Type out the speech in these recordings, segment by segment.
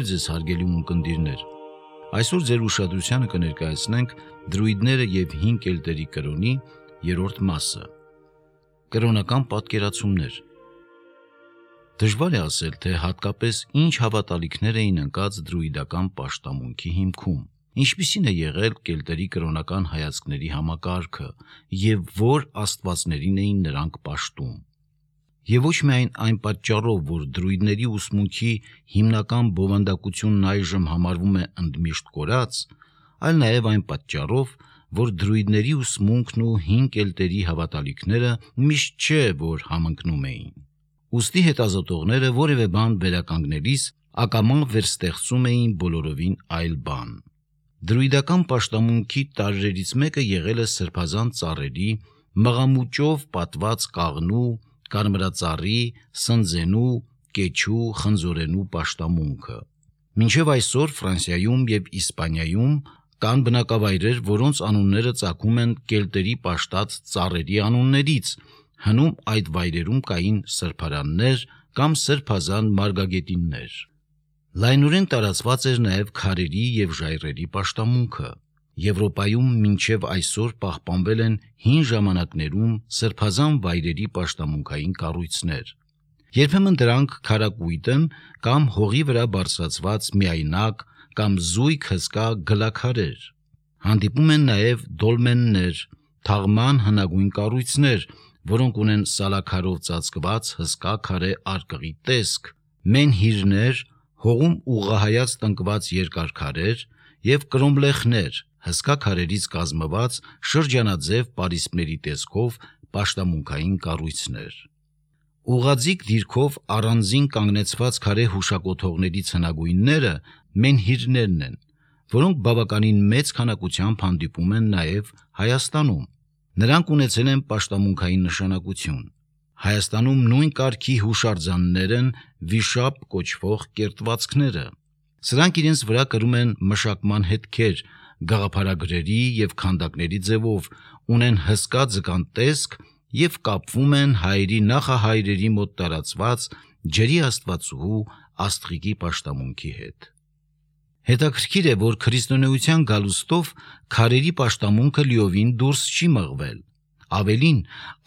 Բարև ձեզ հարգելի ունկնդիրներ։ Այսօր ձեր ուշադրությանը կներկայացնենք դրույդները և 5 կելտերի կրոնի երրորդ մասը։ Կրոնական պատկերացումներ։ Դժվար է ասել, թե հատկապես ինչ հավատալիքներ էին ընկած դրույդական պաշտամունքի հիմքում, ինչպիսին է եղել կելտերի կրոնական հայացքների համակարգը և որ աստվածներին էին նրանք պաշտում։ Եվ ոչ միայն այն պատճառով, որ դրույդների ուսմունքի հիմնական բովանդակությունն այժմ համարվում է ընդմիշտ կորած, այլ նաև այն պատճառով, որ դրույդների ուսմունքն ու 5 կելտերի հավատալիքները միշտ չէ, որ համընկնում էին։ Ուստի հետազոտողները որևէ բան վերականգնելիս ակամա վերստեղծում էին բոլորովին այլ բան։ Դրույդական պաշտամունքի տարրերից մեկը եղել է սրբազան ծառերի, մղամուճով պատված կաղնու, կարմրածառի, սնձենու, կեչու, խնձորենու պաշտամունքը։ Մինչև այսօր Ֆրանսիայում և Իսպանիայում կան բնակավայրեր, որոնց անունները ծագում են կելտերի պաշտած ծառերի անուններից, հնում այդ վայրերում կային սրբարաններ կամ սրբազան մարգագետիններ։ Լայնորեն տարածված էր նաև քարերի և ժայռերի պաշտամունքը։ Եվրոպայում մինչև այսօր պահպանվել են հին ժամանակներում սրբազան վայրերի պաշտամունքային կառույցներ։ Երբեմն դրանք քարակույտ են կամ հողի վրա բարձրացված միայնակ կամ զույգ հսկա գլաքարեր։ Հանդիպում են նաև դոլմեններ, թաղման հնագույն կառույցներ, որոնք ունեն սալաքարով ծածկված հսկա քարե արկղի տեսք, մենհիրներ, հողում ուղղահայաց տնկված երկար քարեր և կրոմլեխներ, հսկա քարերից կազմված շրջանաձև պարիսպների տեսքով պաշտամունքային կառույցներ։ Ուղղաձիգ դիրքով առանձին կանգնեցված քարե հուշակոթողներից հնագույնները մենհիրներն են, որոնք բավականին մեծ քանակությամբ հանդիպում են նաև Հայաստանում։ Նրանք ունեցել են պաշտամունքային նշանակություն։ Հայաստանում նույն կարգի հուշարձաններ են վիշապ կոչվող կերտվածքները։ Սրանք իրենց վրա կրում են մշակման հետքեր, գաղափարագրերի և քանդակների ձևով, ունեն հսկա ձկան տեսք և կապվում են հայերի նախահայրերի մոտ տարածված ջրի աստվածուհու Աստղիկի պաշտամունքի հետ։ Հետաքրքիր է, որ քրիստոնեության գալուստով քարերի պաշտամունքը լիովին դուրս չի մղվել։ Ավելին,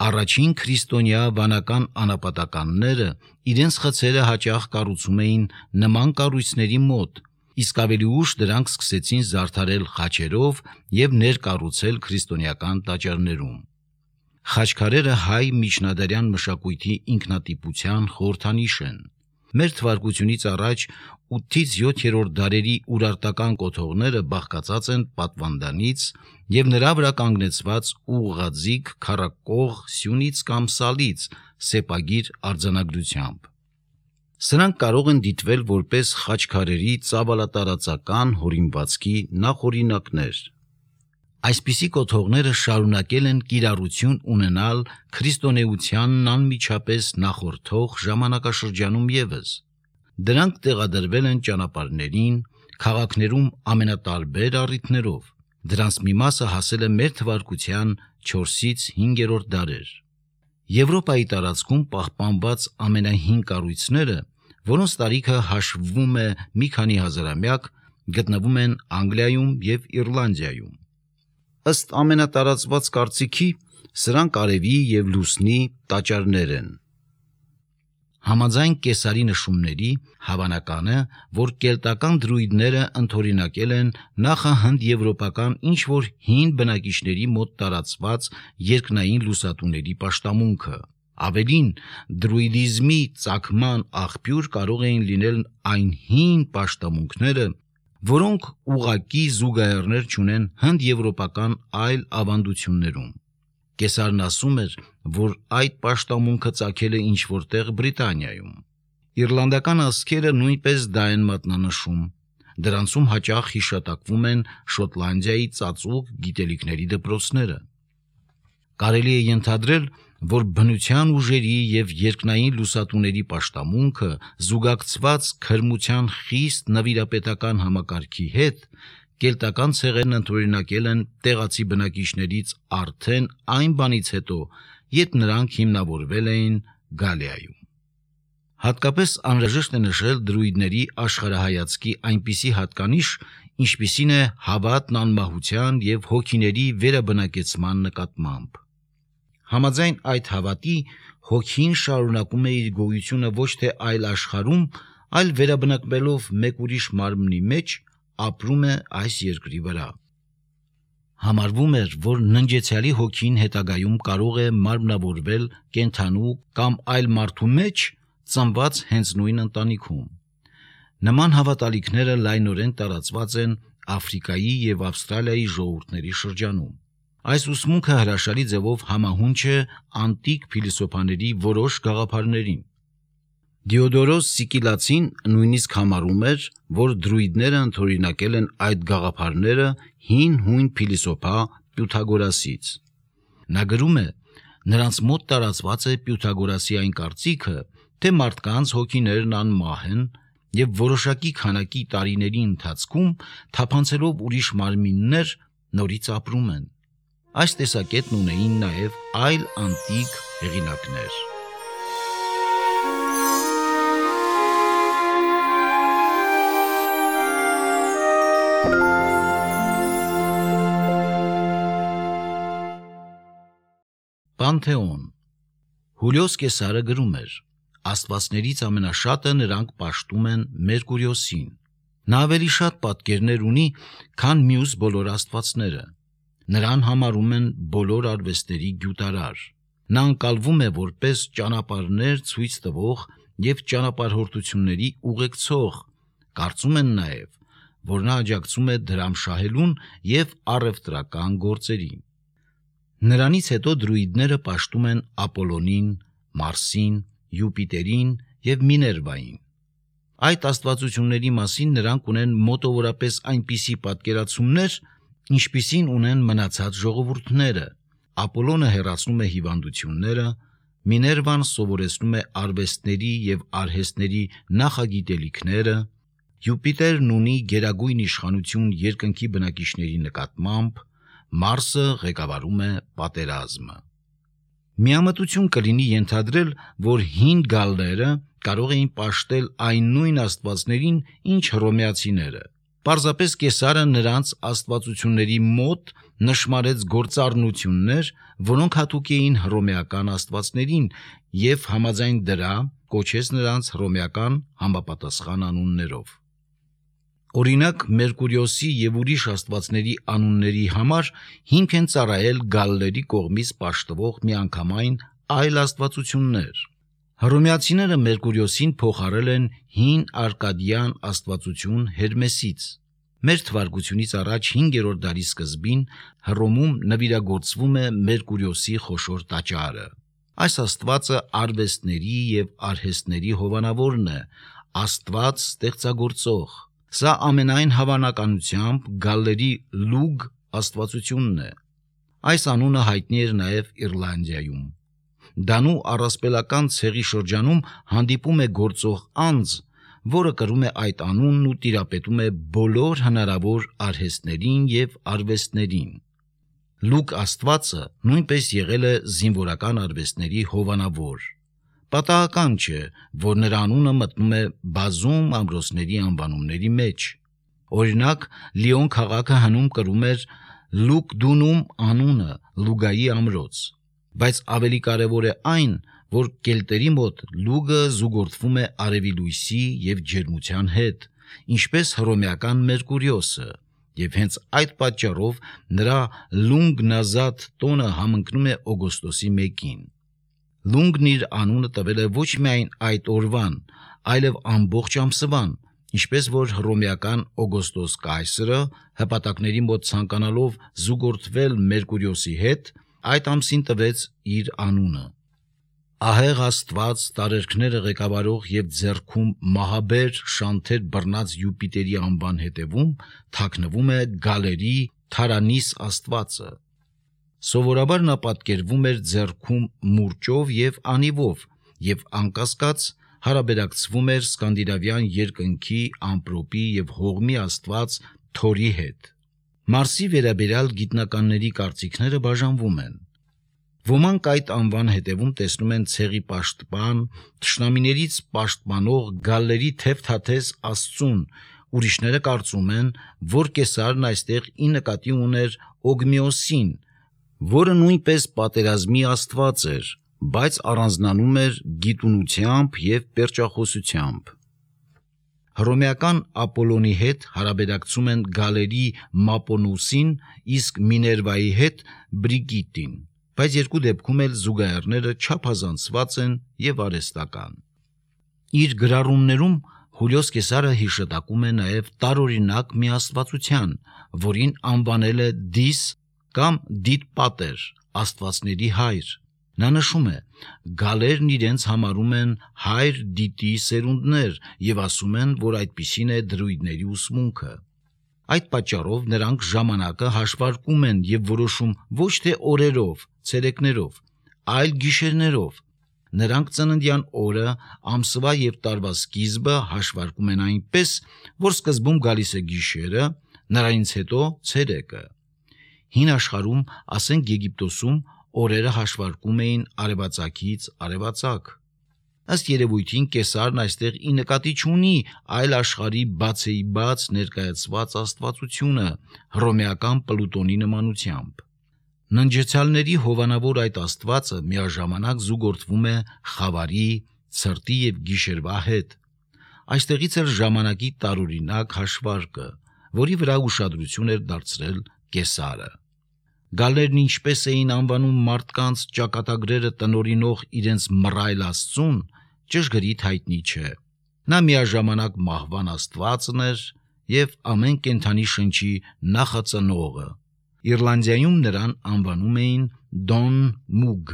առաջին քրիստոնյա վանական անապատականները իրենց խցերը հաճախ կառուցում էին նման կառույցների մոտ, իսկ ավելի ուշ դրանք սկսեցին զարդարել խաչերով և ներկառուցել քրիստոնեական տաճարներում։ Խաչքարերը հայ միջնադարյան մշակույթի ինքնատիպության խորհրդանիշ են։ Մեր թվարկությունից առաջ 8-7-րդ դարերի ուրարտական կոթողները բաղկացած են պատվանդանից և նրա վրա կանգնեցված ուղղաձիգ քառակող սյունից կամ սալից սեպագիր արձանագրությամբ։ Սրանք կարող են դիտվել որպես խաչքարերի ծավալատարածական հորինվածքի նախօրինակներ։ Այսպիսի կոթողները շարունակել են կիրառություն ունենալ քրիստոնեությանն անմիջապես նախորդող ժամանակաշրջանում ևս։ Դրանք տեղադրվել են ճանապարհներին, քաղաքներում ամենատարբեր առիթներով։ Դրանց մի մասը հասել է մեր թվարկության 4-5-րդ դարեր։ Եվրոպայի տարածքում պահպանված ամենահին կառույցները, որոնց տարիքը հաշվվում է մի քանի հազարամյակ, գտնվում են Անգլիայում և Իռլանդիայում։ Ըստ ամենատարածված կարծիքի, սրանք արևի և լուսնի տաճարներ են։ Համաձայն Կեսարի նշումների, հավանական է, որ կելտական դրույդները ընդօրինակել են նախահնդեվրոպական ինչ-որ հին բնակիչների մոտ տարածված երկնային լուսատուների պաշտամունքը։ Ավելին, դրույդիզմի ծագման աղբյուր կարող էին լինել այն հին պաշտամունքները, որոնք ուղղակի զուգահեռներ չունեն հնդեվրոպական այլ ավանդություններում։ Կեսարն ասում էր, որ այդ պաշտամունքը ծագել է ինչ-որ տեղ Բրիտանիայում։ Իռլանդական ազգերը նույնպես դա են մատնանշում։ Դրանցում հաճախ հիշատակվում են Շոտլանդիայի ծածուկ գիտելիքների դպրոցները։ Կարելի է ենթադրել, որ բնության ուժերի և երկնային լուսատուների պաշտամունքը զուգակցված քրմության խիստ նվիրապետական համակարգի հետ, կելտական ցեղերն ընդօրինակել են տեղացի բնակիչներից արդեն այն բանից հետո, երբ նրանք հիմնավորվել էին Գալիայում։ Հատկապես անհրաժեշտ է նշել դրույդների աշխարհայացքի այնպիսի հատկանիշ, ինչպիսին է հավատն անմահության և հոգիների վերաբնակեցման նկատմամբ։ Համաձայն այդ հավատի, հոգին շարունակում է իր գոյությունը ոչ թե այլ աշխարհում, այլ վերաբնակվելով մեկ ուրիշ մարմնի մեջ, ապրում է այս երկրի վրա։ Համարվում էր, որ ննջեցյալի հոգին հետագայում կարող է մարմնավորվել կենդանու կամ այլ մարդու մեջ, ծնված հենց նույն ընտանիքում։ Նման հավատալիքները լայնորեն տարածված են Աֆրիկայի և Ավստրալիայի ժողովուրդների շրջանում։ Այս ուսմունքը հրաշալի ձևով համահունչ է անտիկ փիլիսոփաների որոշ գաղափարներին։ Դիոդորոս Սիկիլացին նույնիսկ համարում էր, որ դրույդները ընդօրինակել են այդ գաղափարները հին հույն փիլիսոփա Պյութագորասից։ Նա գրում է. նրանց մոտ տարածված է Պյութագորասի այն կարծիքը, թե մարդկանց հոգիներն անմահ են և որոշակի քանակի տարիների ընթացքում թափանցելով ուրիշ մարմիններ նորից ապրում են։ Այս տեսակետն ունեին նաև այլ անտիկ հեղինակներ։ Պանթեոն։ Հուլիոս Կեսարը գրում էր. Աստվածներից ամենաշատը նրանք պաշտում են Մերկուրիոսին։ Նա ավելի շատ պատկերներ ունի, քան մյուս բոլոր աստվածները։ Նրան համարում են բոլոր արվեստների գյուտարար։ Նա ընկալվում է որպես ճանապարհներ ցույց տվող և ճանապարհորդությունների ուղեկցող։ Կարծում են նաև, որ նա աջակցում է դրամ շահելուն և առևտրական գործերին։ Նրանից հետո դրույդները պաշտում են Ապոլոնին, Մարսին, Յուպիտերին և Միներվային։ Այդ աստվածությունների մասին նրանք ունեն մոտավորապես այնպիսի պատկերացումներ, ինչպիսին ունեն մնացած ժողովուրդները։ Ապոլոնը հեռացնում է հիվանդությունները, Միներվան սովորեցնում է արվեստների և արհեստների նախագիտելիքները, Յուպիտերն ունի գերագույն իշխանություն երկնքի բնակիչների նկատմամբ, Մարսը ղեկավարում է պատերազմը։ Միամտություն կլինի ենթադրել, որ հին գալլերը կարող էին պաշտել այն նույն աստվածներին, ինչ հռոմեացիները։ Պարզապես Կեսարը նրանց աստվածությունների մոտ նշմարեց գործառնություններ, որոնք հատուկ էին հռոմեական աստվածներին և համաձայն դրա կոչեց նրանց հռոմեական համապատասխան անուններով։ Օրինակ, Մերկուրիոսի և ուրիշ աստվածների անունների համար հիմք են ծառայել գալլերի կողմից պաշտվող միանգամայն այլ աստվածություններ։ Հռոմեացիները Մերկուրիոսին փոխարել են հին արկադյան աստվածություն Հերմեսից։ Մեր թվարկությունից առաջ 5-րդ դարի սկզբին Հռոմում նվիրագործվում է Մերկուրիոսի խոշոր տաճարը։ Այս աստվածը արվեստների և արհեստների հովանավորն է, աստված ստեղծագործող։ Սա ամենայն հավանականությամբ գալլերի Լուգ աստվածությունն է։ Այս անունը հայտնի էր նաև Իռլանդիայում։ Դանու առասպելական ցեղի շրջանում հանդիպում է գործող անձ, որը կրում է այդ անունն ու տիրապետում է բոլոր հնարավոր արհեստներին և արվեստներին։ Լուգ աստվածը նույնպես եղել է զինվորական արվեստների հովանավոր։ Պատահական չէ, որ նրա անունը մտնում է բազում ամրոցների անվանումների մեջ։ Օրինակ, Լիոն քաղաքը հնում կրում էր Լուկդունում անունը, Լուգայի ամրոց։ Բայց ավելի կարևոր է այն, որ կելտերի մոտ լուգը զուգորդվում է արևի լույսի և ջերմության հետ, ինչպես հռոմեական Մերկուրիոսը, և հենց այդ պատճառով նրա Լունգնազատ տոնը համընկնում է օգոստոսի 1-ին։ Լունգն իր անունը տվել է ոչ միայն այդ օրվան, այլև ամբողջ ամսվան, ինչպես որ հռոմեական Օգոստոս կայսրը հպատակների մոտ ցանկանալով զուգորդվել Մերկուրիոսի հետ, այդ ամսին տվեց իր անունը։ Ահեղ աստված տարերքները ղեկավարող և ձեռքում մահաբեր շանթեր բռնած Յուպիտերի անվան հետևում թաքնվում է գալերի Թարանիս աստվածը։ Սովորաբար նա պատկերվում էր ձեռքում մուրճով և անիվով և անկասկած հարաբերակցվում էր սկանդինավյան երկնքի, ամպրոպի և հողմի աստված Թորի հետ։ Մարսի վերաբերյալ գիտնականների կարծիքները բաժանվում են։ Ոմանք այդ անվան հետևում տեսնում են ցեղի պաշտպան, թշնամիներից պաշտպանող գալլերի թեթաթես Աստծուն, ուրիշները կարծում են, որ Կեսարն այստեղ ի նկատի ուներ Օգմիոսին, որը նույնպես պատերազմի աստված էր, բայց առանձնանում էր գիտունությամբ և պերճախոսությամբ։ Հռոմեական Ապոլոնի հետ հարաբերակցում են գալերի Մապոնուսին, իսկ Միներվայի հետ Բրիգիտին, բայց երկու դեպքում էլ զուգահեռները չափազանցված են և արհեստական։ Իր գրառումներում Հուլիոս Կեսարը հիշատակում է նաև տարօրինակ մի աստվածության, որին անվանել է Դիս կամ Դիդպատեր, աստվածների հայր։ Նա նշում է. գալերն իրենց համարում են հայր Դիտի սերունդներ և ասում են, որ այդպիսին է դրույդների ուսմունքը։ Այդ պատճառով նրանք ժամանակը հաշվարկում են և որոշում ոչ թե օրերով, ցերեկներով, այլ գիշերներով։ Նրանք ծննդյան օրը, ամսվա և տարվա սկիզբը հաշվարկում են այնպես, որ սկզբում գալիս է գիշերը, նրանից հետո ցերեկը։ Հին աշխարհում, ասենք Եգիպտոսում, օրերը հաշվարկում էին արևածագից արևածագ։ Ըստ երևույթին Կեսարն այստեղ ի նկատի չունի այլ աշխարհի բացեիբաց ներկայացված աստվածությունը հռոմեական Պլուտոնի նմանությամբ։ Ննջեցյալների հովանավոր այդ աստվածը միաժամանակ զուգորդվում է խավարի, ցրտի և գիշերվա հետ։ Այստեղից էր ժամանակի տարօրինակ հաշվարկը, որի վրա ուշադրություն էր դարձրել Կեսարը։ Գալերն ինչպես էին անվանում մարդկանց ճակատագրերը տնօրինող իրենց մռայլ աստծուն, ճշգրիտ հայտնի չէ։ Նա միաժամանակ մահվան աստվածն էր և ամեն կենդանի շնչի նախածնողը։ Իռլանդիայում նրան անվանում էին Դոն Մուգ։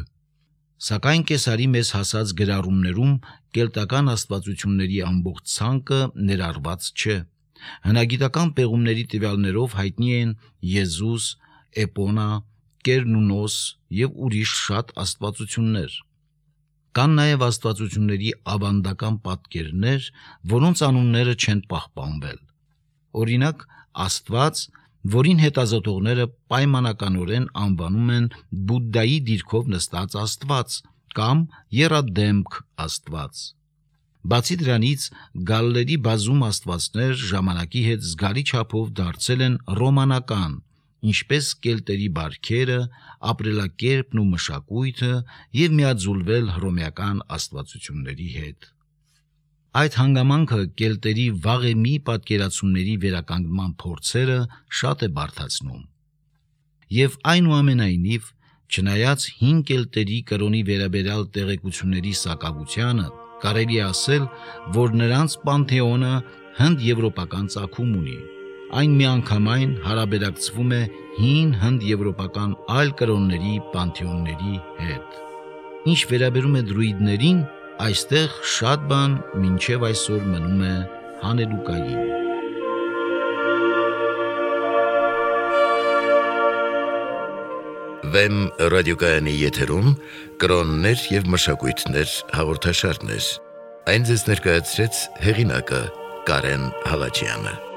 Սակայն Կեսարի մեզ հասած գրառումներում կելտական աստվածությունների ամբողջ ցանկը ներառված չէ։ Հնագիտական պեղումների տվյալներով հայտնի են Եզուս, Էպոնա, Կերնունոս և ուրիշ շատ աստվածություններ։ Կան նաև աստվածությունների ավանդական պատկերներ, որոնց անունները չեն պահպանվել։ Օրինակ, աստված, որին հետազոտողները պայմանականորեն անվանում են Բուդդայի դիրքով նստած աստված կամ եռադեմք աստված։ Բացի դրանից, գալլերի բազում աստվածներ ժամանակի հետ զգալի չափով դարձել են ռոմանական, ինչպես կելտերի բարքերը, ապրելակերպն ու մշակույթը և միաձուլվել հռոմեական աստվածությունների հետ։ Այդ հանգամանքը կելտերի վաղեմի պատկերացումների վերականգնման փորձերը շատ է բարդացնում։ Եվ այնուամենայնիվ, չնայած հին կելտերի կրոնի վերաբերյալ տեղեկությունների սակավությանը, կարելի է ասել, որ նրանց պանթեոնը հնդեվրոպական ծագում ունի։ Այն միանգամայն հարաբերակցվում է հին հնդեվրոպական այլ կրոնների պանթեոնների հետ։ Ինչ վերաբերում է դրուիդներին, այստեղ շատ բան մինչև այսօր մնում է հանելուկային։ Վեմ ռադիոկայանի եթերում կրոններ և մշակույթներ հաղորդաշարներ։ Այն ձեզ ներկայացրեց հեղինակը Կարեն Հալաջյանը։